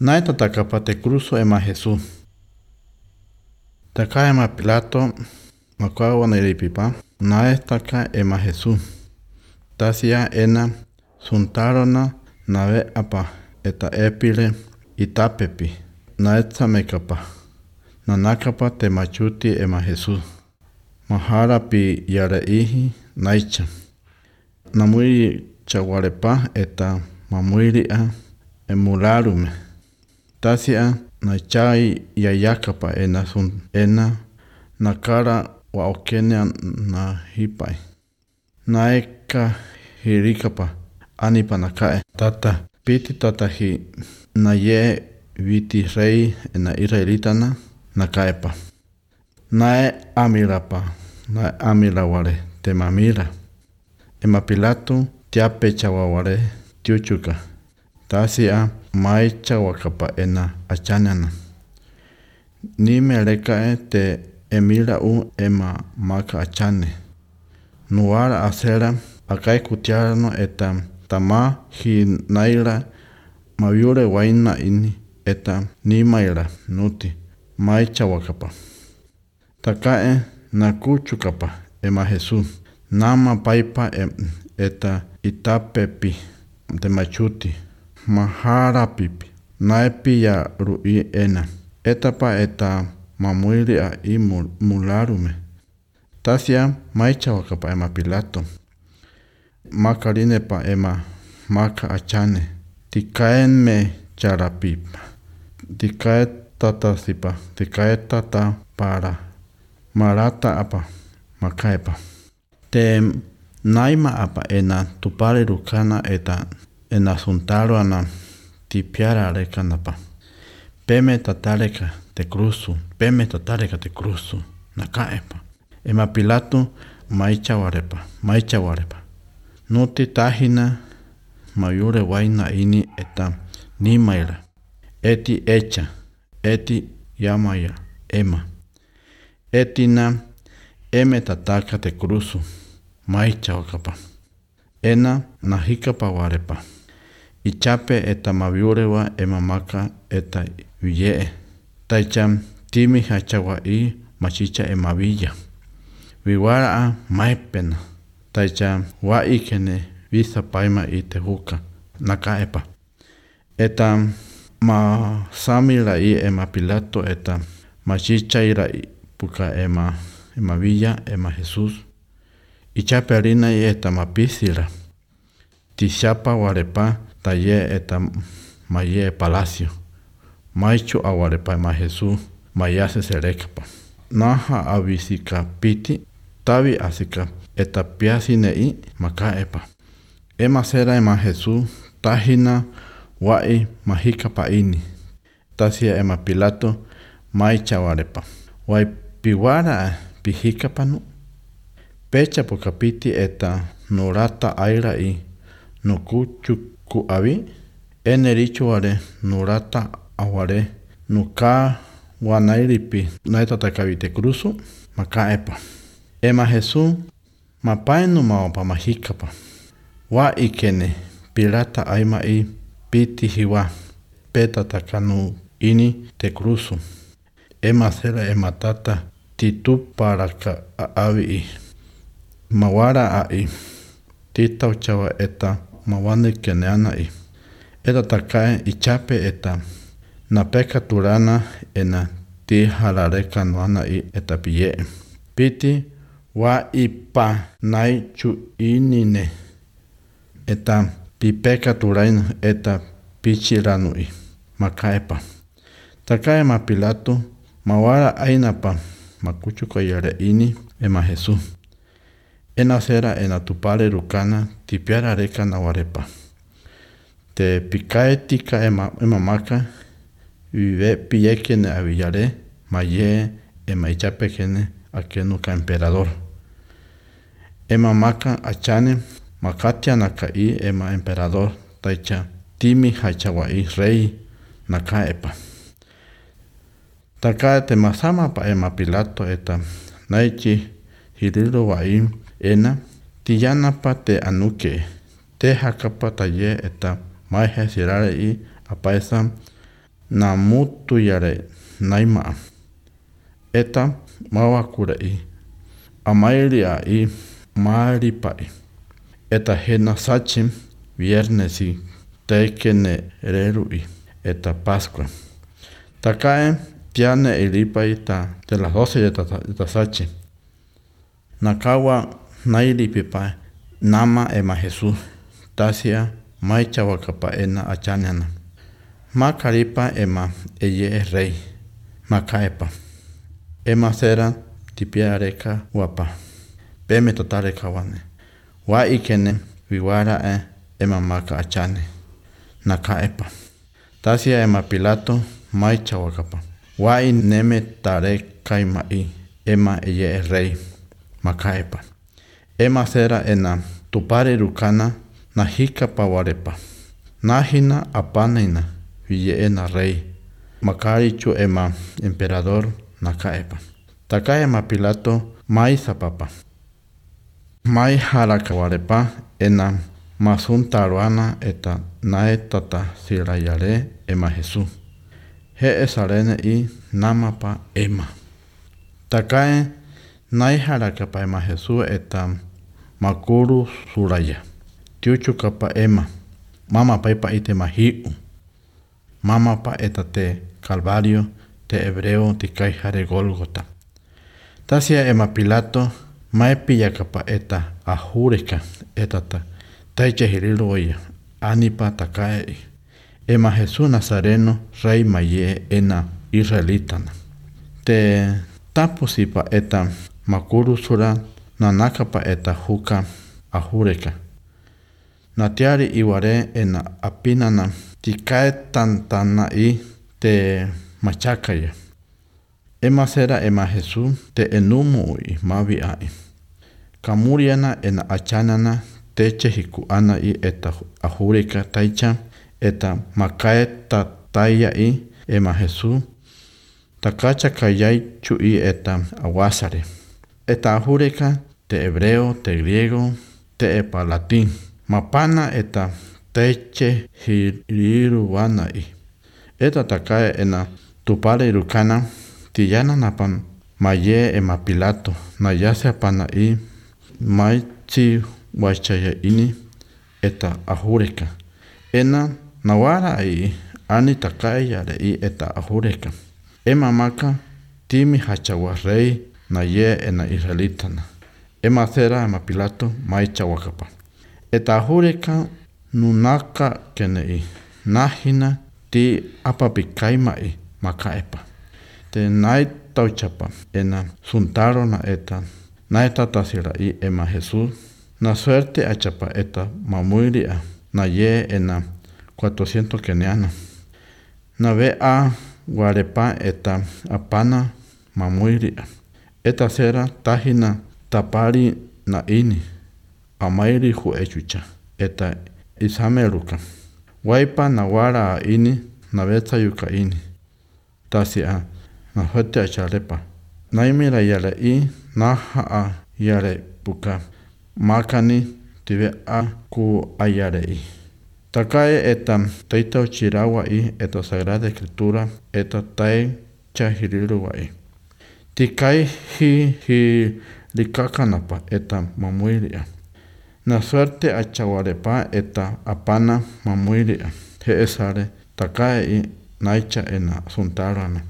Naito takapa te cruzo ema Jesús. Taka ema Pilato makwawa na iripipa. Naestaka ema Jesús. Tasia ena suntarona nave apa eta epile itapepi. Naetsa mekapa. Nanakapa te machuti ema Jesús. Mahara pi yareihi naicha. Namuiri chawarepa eta mamuiria emularume. Tasia nachai yayakapa ena nakara wa okene na hipai. Naeka hirikapa anipa nakae. Tata piti tata hi na ye viti rei na israelitana nakaepa. Nae amirapa. Nae amiraware te mamira. Ema Pilato tiape chawaware tiuchuka. Tasia maicha wakapa ena achanana. Ni melekae te emira ema maka achane. Nuara acera akai kutiarano eta tama hi naira maviure waina ini eta ni maira nuti maicha wakapa. Takae nakuchukapa ema Jesús. Nama paipa eta itapepi de machuti. Mahara pipi. Naepi ya rui ena. Etapa eta mamuiri a mularume. Tasia maicha wakapa ema Pilato. Makarine pa ema maka achane. Tikaen me charapipa. Tikae tata sipa. Tikae tata para. Marata apa makaepa. Te naima apa ena tupare rukana eta ena suntaro ana tipiara rekanapa. Peme tatareka te cruzu. Peme tatareka te cruzu. Nakaepa. Ema Pilato maicha warepa. Nuti tahina mayure waina ini eta ni maira. Eti echa. Eti yamaya. Ema. Etina eme tataka te cruzu. Maicha wakapa. Ena nahikapa warepa. Ichape eta maviurewa ema maka eta viyee. Taicha timi hachawa machicha ema villa. Viwara maipena. Taicha wa ikene visa paima tehuka. Nakaepa. Eta ma samira ema Pilato eta machicha ira puka ema villa ema Jesús. Ichape harina eta mapisira. Tishapa warepa taye eta maye palacio. Maichu awarepa ema Jesús. Mayase serekapa. Naha avisika piti. Tavi asika eta piasinei makaepa. Ema sera ema Jesús. Tahina wai mahikapa ini. Tasia ema Pilato maicha warepa. Wai piwara pihikapanu. Pecha pokapiti eta nurata aira nukuchuku avi. Enerichu ware nurata aware nuka wanairipi naita takavite cruzo makaepa. Ema Jesús mapaenu maopa mahikapa. Wa ikene pirata aima piti hiwa. Peta takanu ini te cruzo. Ema sera ema tata titu para ka avi mawara tita uchawa eta mawane keneana eta takae ichape eta napeka turana ena ti harareka noana eta piye. Piti wa ipa nai chu inine eta pipeka turain eta pichiranu makaepa. Takae ma Pilato mawara ainapa makuchuko yare ini ema Jesús. Ena sera ena tupare rukana tipiara reka na warepa. Te pikae tika ema maka vive piyekene avillare maye ema ichapekene akenuka emperador. Ema maka achane makatia nakai ema emperador taicha timi hachawai rei nakaepa. Takae te masama pa ema Pilato eta naichi hiriro wai ena tiyanapa te anuke te hakapa taye eta mahe sirare apaesa na mutu yare naima. Eta mawakurei. Amairi ai maripai. Eta hena sachim viernesi tekene rerui. Eta Pascua. Takae tiane ilipai ta de las 12 de sachi. Nakawa nailipipa nama ema Jesús. Tasia maicha wakapa ena achanyana. Makaripa ema eye es rey. Makaepa. Ema sera tipia areka wapa. Peme totale kawane. Wa ikene viwara ema maka achane. Nakaepa. Tasia ema Pilato maicha wakapa. Wa ineme tare kaimai. Ema eye es rey. Makaepa. Ema sera ena tupare rukana na hika pawarepa. Nahina apaneina viye ena rey. Makarichu ema emperador nakaepa. Taka ema Pilato mai zapapa. Mai harakawarepa ena masuntaruana eta naetata sirayare ema Jesús. He esarene i namapa ema. Takae nai harakapa ema Jesús eta makuru suraya. Tiuchu kapa ema. Mama paipa ite mahiu. Mama pa eta te Calvario te hebreo te kaihare Golgota. Tasia ema Pilato maepilla kapa eta ahureka etata taiche hirilu oya anipa takae. Ema Jesús Nazareno rey maye ena israelitana. Te tapusipa eta makuru sura nanakapa eta huka ahureka. Natiari iware ena apinana tikae tantana i te machakaya. Ema sera ema Jesús te enumu i mavi ai. Kamuriana ena achanana teche hikuana i eta ahureka taicha eta makae tataya i ema Jesús takacha kayai chu i eta awasare. Eta ahureka te hebreo, te griego, te epa latín. Mapana eta teche hiriruana i. Eta takae ena tupare irukana tiyana napan maye ema Pilato na yase apana i maichi wachaya ini eta ahureka. Ena nawara i ani takae yare i eta ahureka. Ema maka timi hachawa rey na ye ena israelitana. Ema cera ema Pilato maicha wakapa. Eta ahureka nunaka kene i. Nahina ti apapikaima i makaepa. Te nai tauchapa ena suntaro na eta. Nai tatasira i ema Jesús. Na suerte achapa eta mamuiria na ye ena 400 keniana. Na ve a guarepa eta apana mamuiria. Eta sera tahina tapari na ini. Amairi hu echucha. Eta isameruka. Waipa na wara ini na veta yuka ini. Tasia na hote acharepa. Naimira yale i na haa yale puka. Makani tive a ku ayare i. Takae eta taita uchirawa i eta Sagrada Escritura eta tai chahiriruwa i. Tikai hi likakanapa eta mamuiria. Na suerte achawarepa eta apana mamuiria. He esare takae i naicha ena suntarana.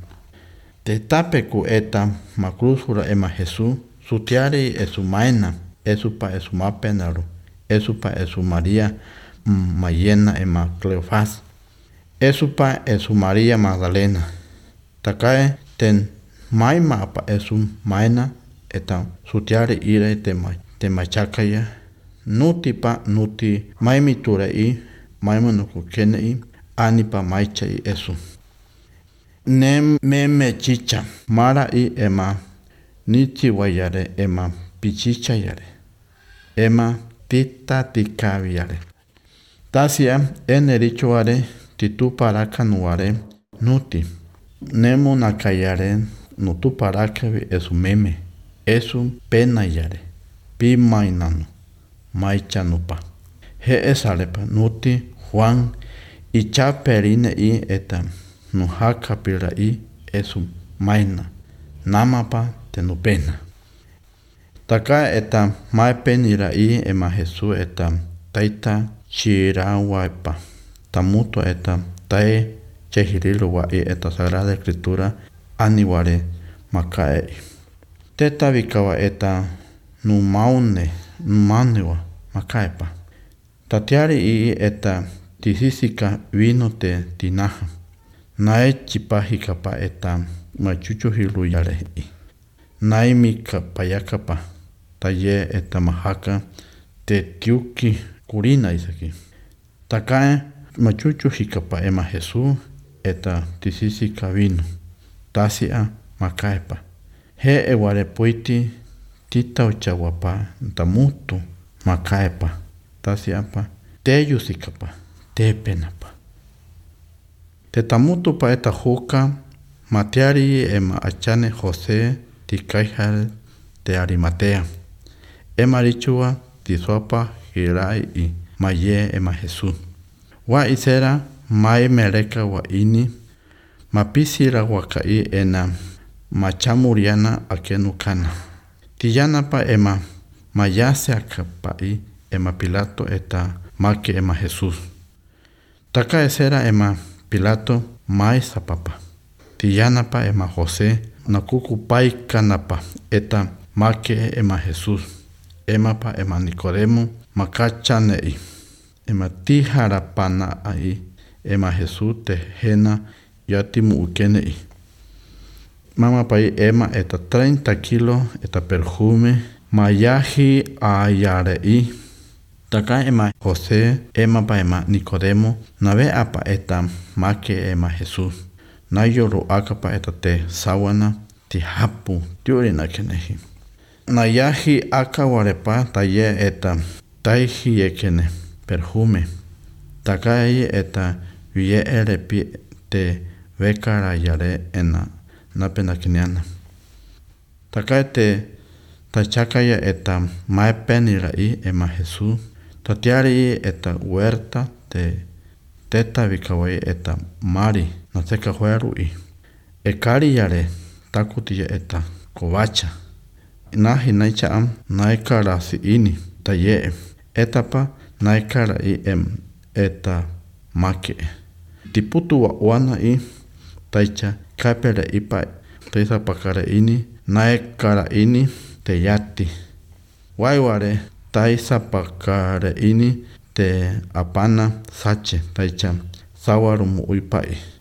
Te tapeku eta makrusura ema Jesús sutiari esu maena. Esupa esu mapenaru. Esupa esu María mayena ema Cleofás. Esupa esu María Magdalena. Takae ten maima apa esu maena eta sutiari ire te machakaya. Nutipa nuti maimitura i maimanuku kene i anipa maicha i esu. Meme chicha mara i ema niti wayare ema pichicha yare. Ema tita tikavi yare. Tasia enerichuare titu paraka nuare nuti. Nemo nakayare nutu paraka esu meme. Esu pena yare. Pi mainano. Maichanupa. He esarepa nuti Juan icha perine i eta nujaka pirai esu maina namapa tenupena. Taka eta maepeniraí ema Jesús eta taita chirahuaipa. Tamuto eta tae chehiriluai eta Sagrada Escritura aniware makaei. Teta vikawa eta numaniwa makaepa. Tatiari ii eta tisisika vino te tinaja. Nae chipahikapa eta machuchuhiluyarei. Naimika payakapa. Taye eta mahaka te tiuki kurina isaki. Takae machuchuhikapa ema Jesús eta tisisika vino. Tasia makaepa. He ewarepoiti tita ochawapa tamutu makaepa. Tasiapa te yusikapa te penapa. Te tamutu pa eta huka matiari ema achane José tikaihal te Arimatea. Ema richua tisuapa hirai i maye ema Jesús. Wa isera mae mereka wa ini mapisira wakai ena machamuriana akenukana. Tiyanapa ema mayase akapai ema Pilato eta make ema Jesús. Taka esera ema Pilato mai sapapa. Tiyanapa ema José nakukupai kanapa eta make ema Jesús. Emapa ema Nicodemo makachanei. Ema tiharapana ai ema Jesús te hena yatimu ukenei. Mama pai ema eta 30 kilo eta perfume mayahi ayarei. Taka ema José ema pa ema Nicodemo nave apa eta make ema Jesús. Nayoro akapa eta te sawana ti hapu tiurina kenehi. Nayahi akawarepa taye eta taihi ekene perfume. Taka eta vie erepi te vekara yare ena napena kiniana. Taka te tachakaya eta maepeniraí ema Jesús. Tatiari eta huerta te teta vikawai eta mari nateka huerui. Ekari yare takutia eta kovacha. Nahi naichaam naikara si ini taye etapa naikara i eta make. Tiputu wa wana i taicha kapere ipa taisa pakara ini naikara ini te yati. Waiware taisa pakara ini te apana sache taicha sawarumu uipai.